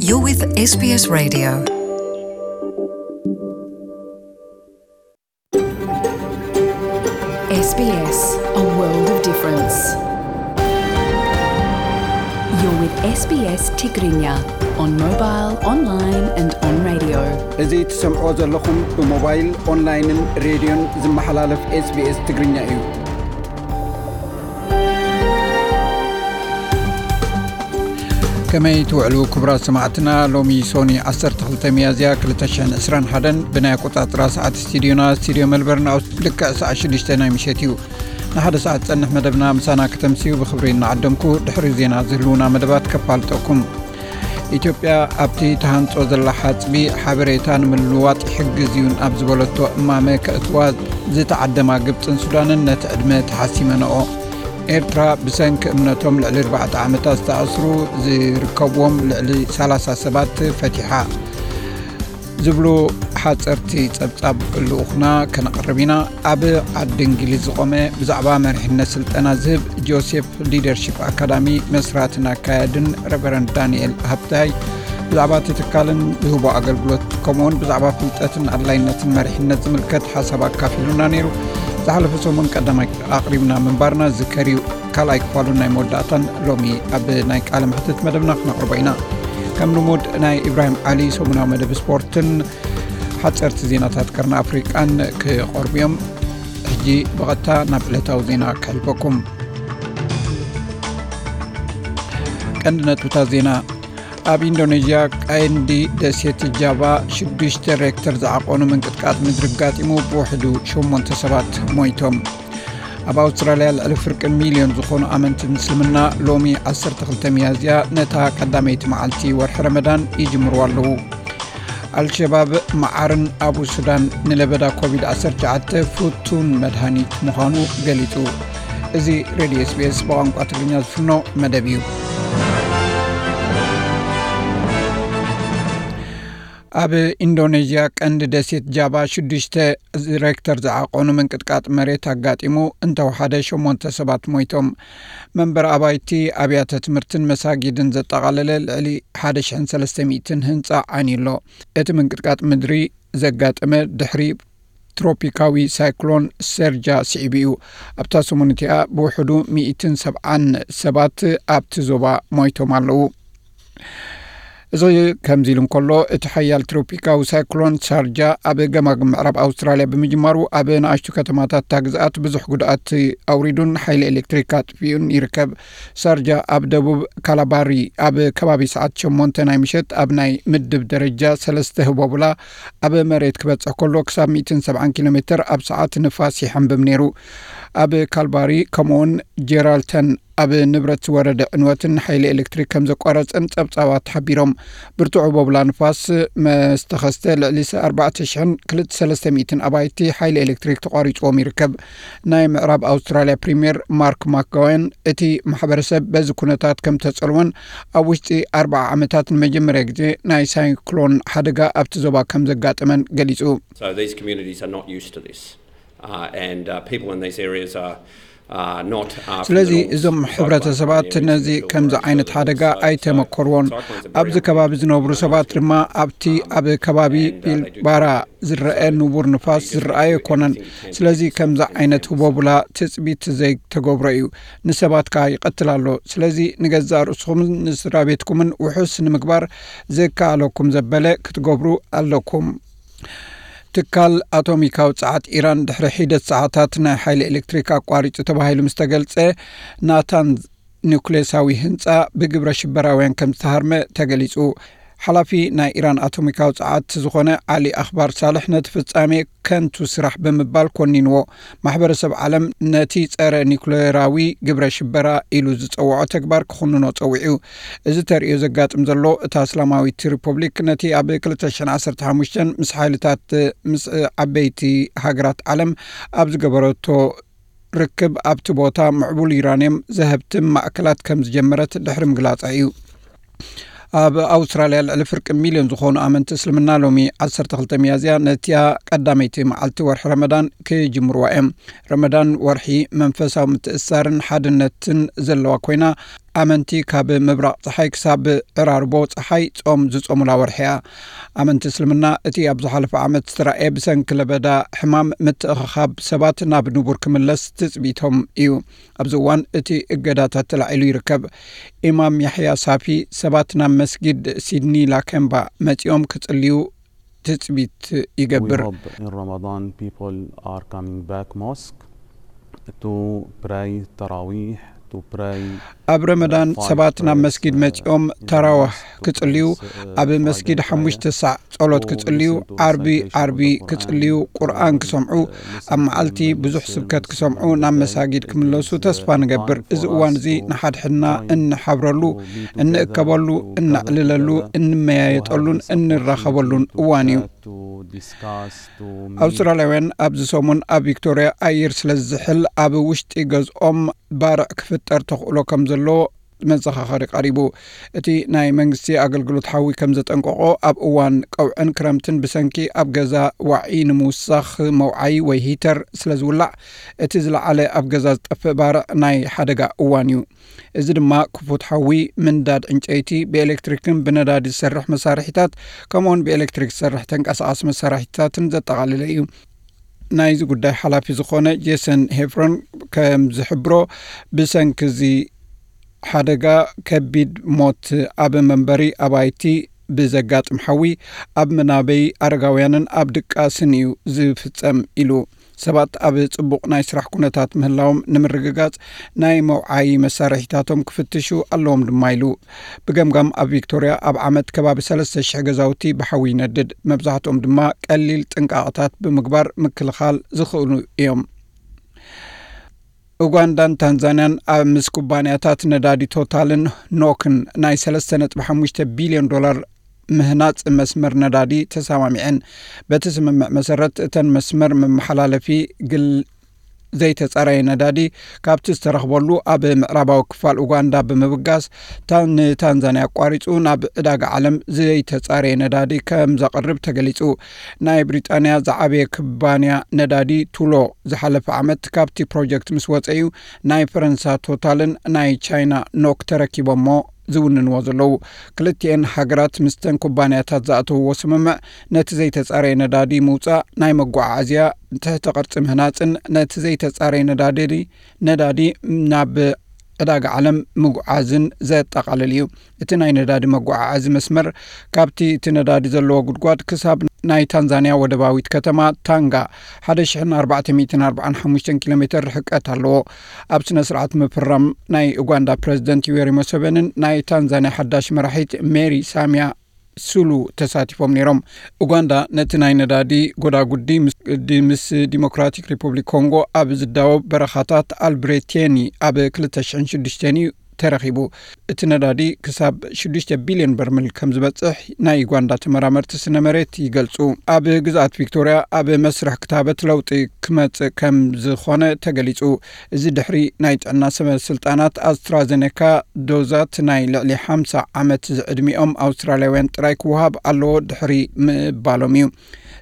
You're with S B S Radio. S B S, a world of difference. You're with S B S Tigrinya on mobile, online and on radio. እዚ ትሰምዖ ዘለኹም ብሞባይል፣ ኦንላይንን ሬድዮን ዝመሓላለፍ S B S ትግርኛ እዩ። ከመይ ትውዕሉ ክቡራት ሰማዕትና? ሎሚ ሶኒ ዓሰርተ ክልተ ሚያዝያ ክልተ ሽሕን ዕስራን ሓደን ብናይ ኣቆጻጽራ ሰዓት ስቱዲዮና፣ ስቱዲዮ መልበርን፣ ኣብ ልክዕ ሰዓት ሽዱሽተ ናይ ምሸት እዩ። ንሓደ ሰዓት ዝጸንሕ መደብና ምሳና ከተምስዩ ብኽብሪ እናዓደምኩ፣ ድሕሪ ዜና ዝህልዉና መደባት ከፋልጠኩም። ኢትዮጵያ ኣብቲ ተሃንጾ ዘላ ሓጽቢ ሓበሬታ ንምልውዋጥ ይሕግዝ እዩ ኣብ ዝበለቶ እማመ ከእትዋ ዝተዓደማ ግብጽን ሱዳንን ነቲ ዕድመ ተሓሲመንኦ። ኤርትራ ብሰንኪ እምነቶም ልዕሊ ኣርባዕተ ዓመታት ዝተኣስሩ ዝርከብዎም ልዕሊ ሰላሳ ሰባት ፈቲሓ። ዝብሉ ሓጸርቲ ጸብጻብ ልኡኽና ከነቕርብ ኢና። ኣብ ዓዲ እንግሊዝ ዝቖመ ብዛዕባ መሪሕነት ስልጠና ዝህብ ጆሴፍ ሊደርሺፕ ኣካዳሚ መስራትን ኣካያድን ረቨረንድ ዳንኤል ሃብታይ ብዛዕባ እቲ ትካልን ዝህቦ ኣገልግሎት፣ ከምኡውን ብዛዕባ ፍልጠትን ኣድላይነትን መሪሕነት ዝምልከት ሓሳብ ኣካፊሉና ነይሩ። ዝሓለፈ ሰሙን ቀዳማይ ኣቕሪብና ምንባርና ዝከር እዩ። ካልኣይ ክፋሉን ናይ መወዳእታን ሎሚ ኣብ ናይ ቃለ መሕትት መደብና ክነቕርቦ ኢና። ከም ልሙድ ናይ ኢብራሂም ዓሊ ሰሙናዊ መደብ ስፖርትን ሓጸርቲ ዜናታት ቀርኒ ኣፍሪቃን ክቐርቡ እዮም። ሕጂ ብቐጥታ ናብ ዕለታዊ ዜና ከሕልፈኩም። ቀንዲ ነጥብታት ዜና። ኣብ ኢንዶኔዥያ ቀንዲ ደሴት ጃቫ ሽዱሽተ ሬክተር ዝዓቐኑ ምንቅጥቃጥ ምድሪ ኣጋጢሙ ብውሕዱ ሸሞንተ ሰባት ሞይቶም። ኣብ ኣውስትራልያ ልዕሊ ፍርቂ ሚልዮን ዝኾኑ ኣመንቲ ምስልምና ሎሚ ዓሰርተ ክልተ ሚያዝያ ነታ ቀዳመይቲ መዓልቲ ወርሒ ረመዳን ይጅምሩ ኣለዉ። ኣልሸባብ መዓርን ኣብ ሱዳን ንለበዳ ኮቪድ ዓሰርተ ትሽዓተ ፍቱን መድሃኒት ምዃኑ ገሊጹ። እዚ ሬድዮ S B S ብቋንቋ ትግርኛ ዝፍኖ መደብ እዩ። ኣብ ኢንዶኔዥያ ቀንዲ ደሴት ጃቫ ሽዱሽተ ሬክተር ዝዓቐኑ ምንቅጥቃጥ መሬት ኣጋጢሙ እንተወሓደ ሸሞንተ ሰባት ሞይቶም። መንበሪ ኣባይቲ፣ ኣብያተ ትምህርትን መሳጊድን ዘጠቓለለ ልዕሊ ሓደ ሽሕን ሰለስተ ሚእትን ህንጻ ዓንዩ ኣሎ። እቲ ምንቅጥቃጥ ምድሪ ዘጋጠመ ድሕሪ ትሮፒካዊ ሳይክሎን ሰርጃ ስዒቡ እዩ። ኣብታ ሰሙን እቲኣ ብውሕዱ ሚእትን ሰብዓን ሰባት ኣብቲ ዞባ ሞይቶም ኣለዉ። እዚ ከምዚ ኢሉ እንከሎ፣ እቲ ሓያል ትሮፒካዊ ሳይክሎን ሳርጃ ኣብ ገማግም ምዕራብ ኣውስትራልያ ብምጅማሩ፣ ኣብ ንኣሽቱ ከተማታት እታ ግዝኣት ብዙሕ ጉድኣት ኣውሪዱን ሓይሊ ኤሌክትሪክ ኣጥፊኡን ይርከብ። ሳርጃ ኣብ ደቡብ ካላባሪ ኣብ ከባቢ ሰዓት ሸሞንተ ናይ ምሸት ኣብ ናይ ምድብ ደረጃ ሰለስተ ህቦብላ ኣብ መሬት ክበጽሕ ከሎ፣ ክሳብ ሚእትን ሰብዓን ኪሎ ሜትር ኣብ ሰዓት ንፋስ ይሓንብብ ነይሩ። ኣብ ካልባሪ ከምኡውን ጀራልተን ኣብ ንብረት ዝወረደ ዕንወትን ሓይሊ ኤሌክትሪክ ከም ዘቋረጸን ጸብጻባት ሓቢሮም። ብርቱዕ ቦብላ ንፋስ መስተኸስተ ልዕሊ ኣርባዕተ ሽሕን ክልተ ሰለስተ ሚእትን ኣባይቲ ሓይሊ ኤሌክትሪክ ተቋሪጽዎም ይርከብ። ናይ ምዕራብ ኣውስትራልያ ፕሪምየር ማርክ ማክጋወን እቲ ማሕበረሰብ በዚ ኩነታት ከም ተጸልወን ኣብ ውሽጢ ኣርባዓ ዓመታት ንመጀመርያ ግዜ ናይ ሳይክሎን ሓደጋ ኣብቲ ዞባ ከም ዘጋጠመን ገሊጹ። So these communities are not used to this. Uh, and uh, people in these areas are, are not, uh, ስለዚ familiar with እዞም cyclones ሕብረተሰባት and ነዚ areas ከምዚ that ዓይነት feel ሓደጋ those. So ኣይተመኮርዎን። Cyclones are very ኣብዚ ከባቢ ዝነብሩ ሰባት ድማ ኣብቲ ኣብ ከባቢ ቢልባራ ዝረአ ንቡር ንፋስ ዝረኣየ ኣይኮነን። ስለዚ ከምዚ ዓይነት ህቦብላ ትጽቢት ዘይተገብሮ እዩ። ንሰባት ከኣ ይቐትል ኣሎ። ስለዚ ንገዛእ ርእስኹምን ንስድራ ቤትኩምን ውሑስ ንምግባር ዘከኣለኩም ዘበለ ክትገብሩ ኣለኩም። ትካል ኣቶሚካዊ ጸዓት ኢራን ድሕሪ ሒደት ሰዓታት ናይ ሓይሊ ኤሌክትሪክ ኣቋሪጹ ተባሂሉ ምስ ተገልጸ፣ ናታንዝ ኒውክሌሳዊ ህንጻ ብግብረ ሽበራውያን ከም ዝተሃርመ ተገሊጹ። ሓላፊ ናይ ኢራን ኣቶሚካዊ ጸዓት ዝኾነ ዓሊ ኣኽባር ሳልሕ ነቲ ፍጻሜ ከንቱ ስራሕ ብምባል ኮኒንዎ። ማሕበረሰብ ዓለም ነቲ ጸረ ኒውክሌራዊ ግብረ ሽበራ ኢሉ ዝጸውዖ ተግባር ክኹንኖ ጸዊዑ። እዚ ተርእዮ ዘጋጥም ዘሎ እታ እስላማዊት ሪፐብሊክ ነቲ ኣብ ክልተ ሽሕን ዓሰርተ ሓሙሽተን ምስ ሓይልታት ምስ ዓበይቲ ሃገራት ዓለም ኣብ ዝገበረቶ ርክብ ኣብቲ ቦታ ምዕቡል ዩራንየም ዘህብትም ማእከላት ከም ዝጀመረት ድሕሪ ምግላጻ እዩ። ኣብ ኣውስትራልያ ልዕሊ ፍርቂ ሚልዮን ዝኾኑ ኣመንቲ እስልምና ሎሚ ዓሰርተ ክልተ ሚያዝያ ነቲያ ቀዳመይቲ መዓልቲ ወርሒ ረመዳን ክጅምርዋ እዮም። ረመዳን ወርሒ መንፈሳዊ ምትእስሳርን ሓድነትን ዘለዋ ኮይና፣ ኣመንቲ ካብ ምብራቕ ጸሓይ ክሳብ ዕራርቦ ጸሓይ ጾም ዝጾሙላ ወርሒ እያ። ኣመንቲ እስልምና እቲ ኣብ ዝሓለፈ ዓመት ዝተራእየ ብሰንኪ ለበዳ ሕማም ምትእኽኻብ ሰባት ናብ ንቡር ክምለስ ትጽቢቶም እዩ። ኣብዚ እዋን እቲ እገዳታት ተላዒሉ ይርከብ። ኢማም ያሕያ ሳፊ ሰባት ናብ መስጊድ ሲድኒ ላከምባ መጺኦም ክጽልዩ ትጽቢት ይገብር። In Ramadan, people are coming back mosque to pray tarawih, to pray ኣብ ረመዳን ሰባት ናብ መስጊድ መጺኦም ተራዋህ ክጽልዩ፣ ኣብ መስጊድ ሓሙሽተ ሳዕ ጸሎት ክጽልዩ፣ ዓርቢ ዓርቢ ክጽልዩ፣ ቁርኣን ክሰምዑ፣ ኣብ መዓልቲ ብዙሕ ስብከት ክሰምዑ ናብ መሳጊድ ክምለሱ ተስፋ ንገብር። እዚ እዋን እዚ ንሓድሕድና እንሓብረሉ፣ እንእከበሉ፣ እነዕልለሉ፣ እንመያየጠሉን እንራኸበሉን እዋን እዩ። ኣውስትራልያውያን ኣብዚ ሰሙን ኣብ ቪክቶርያ ኣየር ስለ ዝዝሕል ኣብ ውሽጢ ገዝኦም ባርዕ ክፍጠር ተኽእሎ ከም ዘለዎ መዘኻኸሪ ቀሪቡ። እቲ ናይ መንግስቲ ኣገልግሎት ሓዊ ከም ዘጠንቀቆ፣ ኣብ እዋን ቀውዕን ክረምትን ብሰንኪ ኣብ ገዛ ዋዒ ንምውሳኽ መውዓይ ወይ ሂተር ስለ ዝውላዕ፣ እቲ ዝለዓለ ኣብ ገዛ ዝጠፍእ ባርዕ ናይ ሓደጋ እዋን እዩ። እዚ ድማ ክፉት ሓዊ፣ ምንዳድ ዕንጨይቲ፣ ብኤሌክትሪክን ብነዳዲ ዝሰርሕ መሳርሒታት፣ ከምኡውን ብኤሌክትሪክ ዝሰርሕ ተንቀሳቓሲ መሳርሒታትን ዘጠቓለለ እዩ። ናይዚ ጉዳይ ሓላፊ ዝኾነ ጄሰን ሄፍሮን ከም ዝሕብሮ፣ ብሰንኪ እዚ ሓደጋ ከቢድ ሞት ኣብ መንበሪ ኣባይቲ ብዘጋጥም ሓዊ ኣብ መናበይ ኣረጋውያንን ኣብ ድቃስን እዩ ዝፍጸም ኢሉ። ሰባት ኣብ ጽቡቕ ናይ ስራሕ ኩነታት ምህላዎም ንምርግጋጽ ናይ መውዓዪ መሳርሒታቶም ክፍትሹ ኣለዎም ድማ ኢሉ። ብገምጋም ኣብ ቪክቶርያ ኣብ ዓመት ከባቢ ሰለስተ ሽሕ ገዛውቲ ብሓዊ ይነድድ። መብዛሕትኦም ድማ ቀሊል ጥንቃቐታት ብምግባር ምክልኻል ዝኽእሉ እዮም። ኡጋንዳን ታንዛንያን ኣብ ምስ ኩባንያታት ነዳዲ ቶታልን ኖክን ናይ ሰለስተ ነጥቢ ሓሙሽተ ቢልዮን ዶላር ምህናጽ መስመር ነዳዲ ተሰማሚዐን። በቲ ስምምዕ መሰረት እተን መስመር መመሓላለፊ ግል ዘይተጻረየ ነዳዲ ካብቲ ዝተረኽበሉ ኣብ ምዕራባዊ ክፋል ኡጋንዳ ብምብጋስ፣ ታ- ንታንዛንያ ኣቋሪጹ ናብ ዕዳጋ ዓለም ዘይተጻረየ ነዳዲ ከም ዘቕርብ ተገሊጹ። ናይ ብሪጣንያ ዝዓበየ ኩባንያ ነዳዲ ቱሎ ዝሓለፈ ዓመት ካብቲ ፕሮጀክት ምስ ወጸ እዩ ናይ ፈረንሳ ቶታልን ናይ ቻይና ኖክ ተረኪቦሞ ዝውንንዎ ዘለዉ። ክልቲኤን ሃገራት ምስተን ኩባንያታት ዝኣተውዎ ስምምዕ ነቲ ዘይተጻረየ ነዳዲ ምውጻእ፣ ናይ መጓዓዓዝያ ትሕተ ቅርጺ ምህናጽን ነቲ ዘይተጻረየ ነዳዲ ነዳዲ ናብ ዕዳጋ ዓለም ምጉዓዝን ዘጠቓልል እዩ። እቲ ናይ ነዳዲ መጓዓዓዚ መስመር ካብቲ እቲ ነዳዲ ዘለዎ ጉድጓድ ክሳብ ናይ ታንዛንያ ወደባዊት ከተማ ታንጋ ሓደ ሽሕን ኣርባዕተ ሚእትን ኣርባዓን ሓሙሽተን ኪሎ ሜትር ርሕቀት ኣለዎ። ኣብ ስነ ስርዓት ምፍራም ናይ ኡጋንዳ ፕረዚደንት ዩዌሪ ሙሰቨንን ናይ ታንዛንያ ሓዳሽ መራሒት ሜሪ ሳሚያ ሱሉ ተሳቲፎም ነይሮም። ኡጋንዳ ነቲ ናይ ነዳዲ ጎዳጉዲ ምስ ዲ- ምስ ዲሞክራቲክ ሪፑብሊክ ኮንጎ ኣብ ዝዳወብ በረኻታት ኣልብሬቴኒ ኣብ ክልተ ሽሕን ሽዱሽተን እዩ ተረኺቡ። እቲ ነዳዲ ክሳብ ሽዱሽተ ቢልዮን በርሚል ከም ዝበጽሕ ናይ ዩጋንዳ ተመራመርቲ ስነ መሬት ይገልጹ። ኣብ ግዝኣት ቪክቶርያ ኣብ መስርሕ ክታበት ለውጢ ክመጽእ ከም ዝኾነ ተገሊጹ። እዚ ድሕሪ ናይ ጥዕና ሰበ ስልጣናት ኣስትራዘኔካ ዶዛት ናይ ልዕሊ ሓምሳ ዓመት ዝዕድሚኦም ኣውስትራልያውያን ጥራይ ክወሃብ ኣለዎ ድሕሪ ምባሎም እዩ።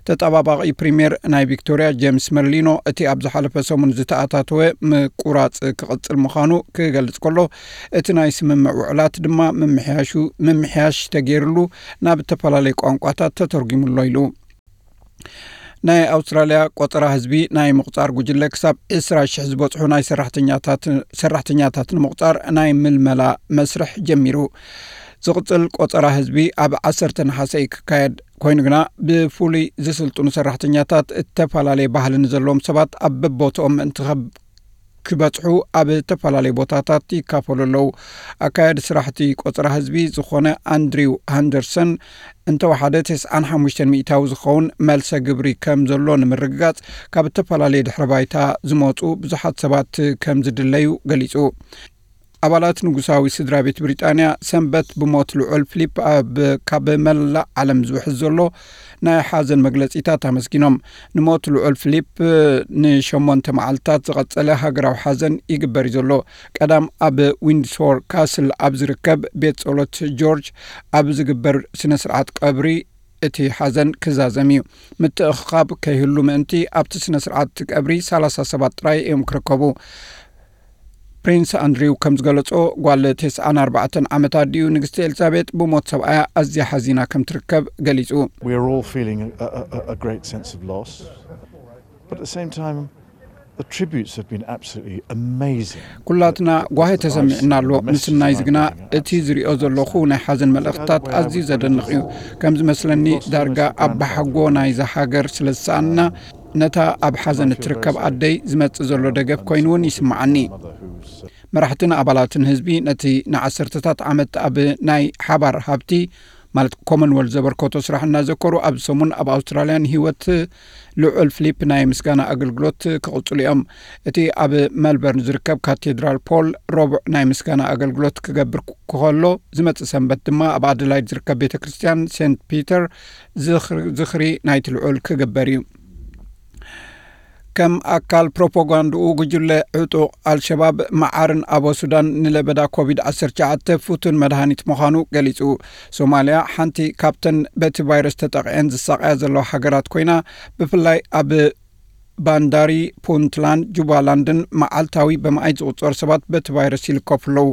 ተጠባባቒ ፕሪምየር ናይ ቪክቶርያ ጄምስ መርሊኖ፣ እቲ ኣብ ዝሓለፈ ሰሙን ዝተኣታተወ ምቁራጽ ክቕጽል ምዃኑ ክገልጽ ከሎ፣ እቲ ናይ ስምምዕ ውዕላት ድማ ምምሕያሹ ምምሕያሽ ተገይርሉ ናብ ዝተፈላለዩ ቋንቋታት ተተርጒሙሎ ኢሉ። ናይ ኣውስትራልያ ቆጸራ ህዝቢ ናይ ምቑጻር ጉጅለ ክሳብ ዕስራ ሽሕ ዝበጽሑ ናይ ሰራሕተኛታት ሰራሕተኛታት ንምቑጻር ናይ ምልመላ መስርሕ ጀሚሩ። ዝቕጽል ቆጸራ ህዝቢ ኣብ ዓሰርተ ነሓሰ እዩ ክካየድ። ኮይኑ ግና ብፍሉይ ዝስልጥኑ ሰራሕተኛታት እተፈላለየ ባህሊ ንዘለዎም ሰባት ኣብ በቦትኦም ምእንቲ ከብ- ክበጽሑ ኣብ እተፈላለየ ቦታታት ይካፈሉ ኣለዉ። ኣካያዲ ስራሕቲ ቆጸራ ህዝቢ ዝኾነ ኣንድሪው ሃንደርሰን እንተወሓደ ተስዓን ሓሙሽተን ሚእታዊ ዝኸውን መልሰ ግብሪ ከም ዘሎ ንምርግጋጽ ካብ እተፈላለየ ድሕረ ባይታ ዝመጹ ብዙሓት ሰባት ከም ዝድለዩ ገሊጹ። ኣባላት ንጉሳዊ ስድራ ቤት ብሪጣንያ ሰንበት ብሞት ልዑል ፊሊፕ ኣብ ካብ መላእ ዓለም ዝውሕዝ ዘሎ ናይ ሓዘን መግለጺታት ኣመስጊኖም። ንሞት ልዑል ፊሊፕ ንሸሞንተ መዓልታት ዝቐጸለ ሃገራዊ ሓዘን ይግበር እዩ ዘሎ። ቀዳም ኣብ ዊንድሶር ካስል ኣብ ዝርከብ ቤት ጸሎት ጆርጅ ኣብ ዝግበር ስነ ስርዓት ቀብሪ እቲ ሓዘን ክዛዘም እዩ። ምትእኽኻብ ከይህሉ ምእንቲ ኣብቲ ስነ ስርዓት ቀብሪ ሰላሳ ሰባት ጥራይ እዮም ክርከቡ። ፕሪንስ ኣንድሪው ከም ዝገለጾ፣ ጓል ተስዓን ኣርባዕተን ዓመት ኣዲኡ ንግስቲ ኤልዛቤጥ ብሞት ሰብኣያ ኣዝያ ሓዚና ከም ትርከብ ገሊጹ። We are all feeling a, a, a great sense of loss, but at the same time, the tributes have been absolutely amazing. ኩላትና ጓሂ ተሰሚዕና ኣሎ። ምስናይ ግና እቲ ዝሪኦ ዘለኹ ናይ ሓዘን መልእኽትታት ኣዝዩ ዘደንቕ እዩ። ከም ዝመስለኒ፣ ዳርጋ ኣባሓጎ ናይዛ ሃገር ስለ ዝሰኣንና፣ ነታ ኣብ ሓዘን እትርከብ ኣደይ ዝመጽእ ዘሎ ደገፍ ኮይኑ እውን ይስምዓኒ። መራሕትን ኣባላትን ህዝቢ ነቲ ንዓሰርተታት ዓመት ኣብ ናይ ሓባር ሃብቲ ማለት ኮመንወልት ዘበርከቶ ስራሕ እናዘከሩ፣ ኣብዚ ሰሙን ኣብ ኣውስትራልያ ንህይወት ልዑል ፊሊፕ ናይ ምስጋና ኣገልግሎት ክቕጽሉ እዮም። እቲ ኣብ መልበርን ዝርከብ ካቴድራል ፖል ረቡዕ ናይ ምስጋና ኣገልግሎት ክገብር ከሎ፣ ዝመጽእ ሰንበት ድማ ኣብ ኣደላይድ ዝርከብ ቤተ ክርስቲያን ሴንት ፒተር ዝኽሪ ናይቲ ልዑል ክግበር እዩ። ከም ኣካል ፕሮፓጋንድኡ፣ ጉጅለ ዕጡቕ ኣልሸባብ መዓርን ኣቦ ሱዳን ንለበዳ ኮቪድ ዓሰርተ ትሽዓተ ፍቱን መድሃኒት ምዃኑ ገሊጹ። ሶማልያ ሓንቲ ካብተን በቲ ቫይረስ ተጠቒዐን ዝሳቐያ ዘለዋ ሃገራት ኮይና፣ ብፍላይ ኣብ ባንዳሪ፣ ፑንትላንድ፣ ጁባላንድን መዓልታዊ ብመኣይ ዝቑጸሩ ሰባት በቲ ቫይረስ ይልከፉ ኣለዉ።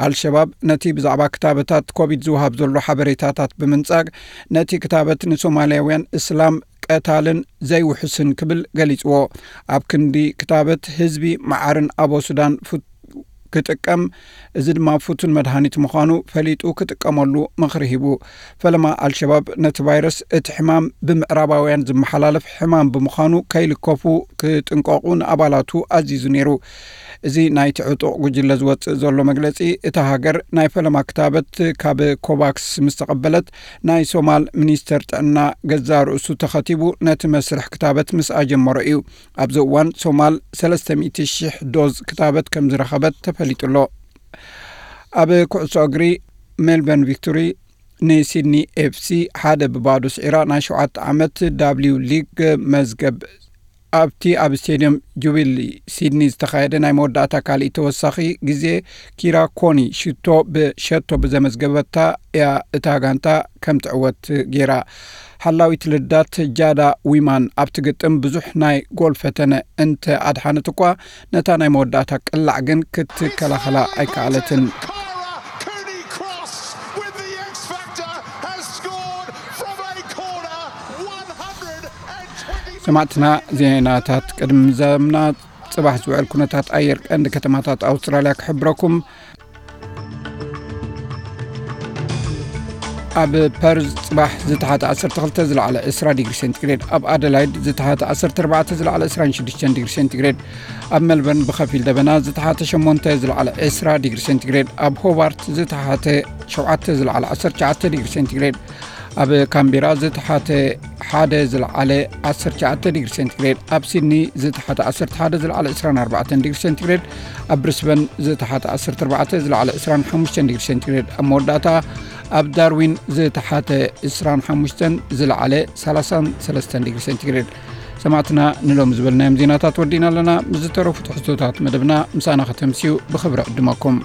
ኣልሸባብ ነቲ ብዛዕባ ክታበታት ኮቪድ ዝወሃብ ዘሎ ሓበሬታታት ብምንጻግ፣ ነቲ ክታበት ንሶማልያውያን እስላም ቀታልን ዘይውሕስን ክብል ገሊጽዎ። ኣብ ክንዲ ክታበት ህዝቢ መዓርን ኣቦ ሱዳን ክጥቀም፣ እዚ ድማ ፍቱን መድሃኒት ምዃኑ ፈሊጡ ክጥቀመሉ ምኽሪ ሂቡ። ፈለማ ኣልሸባብ ነቲ ቫይረስ እቲ ሕማም ብምዕራባውያን ዝመሓላለፍ ሕማም ብምዃኑ ከይልከፉ ክጥንቀቑ ንኣባላቱ ኣዚዙ ነይሩ። እዚ ናይቲ ዕጡቕ ጉጅለ ዝወጽእ ዘሎ መግለጺ፣ እታ ሃገር ናይ ፈለማ ክታበት ካብ ኮቫክስ ምስ ተቐበለት፣ ናይ ሶማል ሚኒስተር ጥዕና ገዛ ርእሱ ተኸቲቡ ነቲ መስርሕ ክታበት ምስ ኣጀመሮ እዩ። ኣብዚ እዋን ሶማል ሰለስተ ሚእቲ ሽሕ ዶዝ ክታበት ከም ዝረኸበት ተፈሊጡ ኣሎ። ኣብ ኩዕሶ እግሪ፣ ሜልበርን ቪክቶሪ ንሲድኒ ኤፍሲ ሓደ ብባዶ ስዒራ ናይ ሸውዓተ ዓመት ዳብሊው ሊግ መዝገብ ኣብቲ ኣብ ስቴድየም ጁቢሊ ሲድኒ ዝተኻየደ ናይ መወዳእታ ካልእ ተወሳኺ ግዜ ኪራ ኮኒ ሽቶ ብሸቶ ብዘመዝገበታ እያ እታ ጋንታ ከም ትዕወት ገይራ። ሓላዊት ልዳት ጃዳ ዊማን ኣብቲ ግጥም ብዙሕ ናይ ጎል ፈተነ እንተ ኣድሓነት እኳ፣ ነታ ናይ መወዳእታ ቅላዕ ግን ክትከላኸላ ኣይከኣለትን። ሰማዕትና፣ ዜናታት ቅድሚ ምዛምና፣ ጽባሕ ዝውዕል ኩነታት ኣየር ቀንዲ ከተማታት ኣውስትራልያ ክሕብረኩም። ኣብ ፐርዝ ጽባሕ ዝተሓተ ዓሰርተ ክልተ፣ ዝለዓለ ዕስራ ዲግሪ ሴንቲግሬድ፣ ኣብ ኣደላይድ ዝተሓተ ዓሰርተ ኣርባዕተ፣ ዝለዓለ ዕስራን ሽዱሽተን ዲግሪ ሴንቲግሬድ፣ ኣብ ሜልበርን ብኸፊል ደበና ዝተሓተ ሸሞንተ፣ ዝለዓለ ዕስራ ዲግሪ ሴንቲግሬድ፣ ኣብ ሆባርት ዝተሓተ ሸውዓተ፣ ዝለዓለ ዓሰርተ ትሽዓተ ዲግሪ ሴንቲግሬድ፣ ኣብ ካምቤራ ዝተሓተ ሓደ፣ ዝለዓለ ዓሰርተ ትሽዓተ ዲግሪ ሴንቲግሬድ፣ ኣብ ሲድኒ ዝተሓተ ዓሰርተ ሓደ፣ ዝለዓለ ዕስራን ኣርባዕተን ዲግሪ ሴንቲግሬድ፣ ኣብ ብሪስበን ዝተሓተ ዓሰርተ ኣርባዕተ፣ ዝለዓለ ዕስራን ሓሙሽተን ዲግሪ ሴንቲግሬድ፣ ኣብ መወዳእታ ኣብ ዳርዊን ዝተሓተ ዕስራን ሓሙሽተን፣ ዝለዓለ ሰላሳን ሰለስተን ዲግሪ ሴንቲግሬድ። ሰማዕትና፣ ንሎሚ ዝበልናዮም ዜናታት ወዲእና ኣለና። ምስ ዝተረፉ ትሕዝቶታት መደብና ምሳና ከተምስዩ ብኽብሪ ዕድመኩም።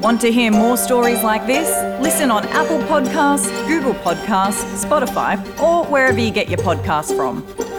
Want to hear more stories like this? Listen on Apple Podcasts, Google Podcasts, Spotify, or wherever you get your podcasts from.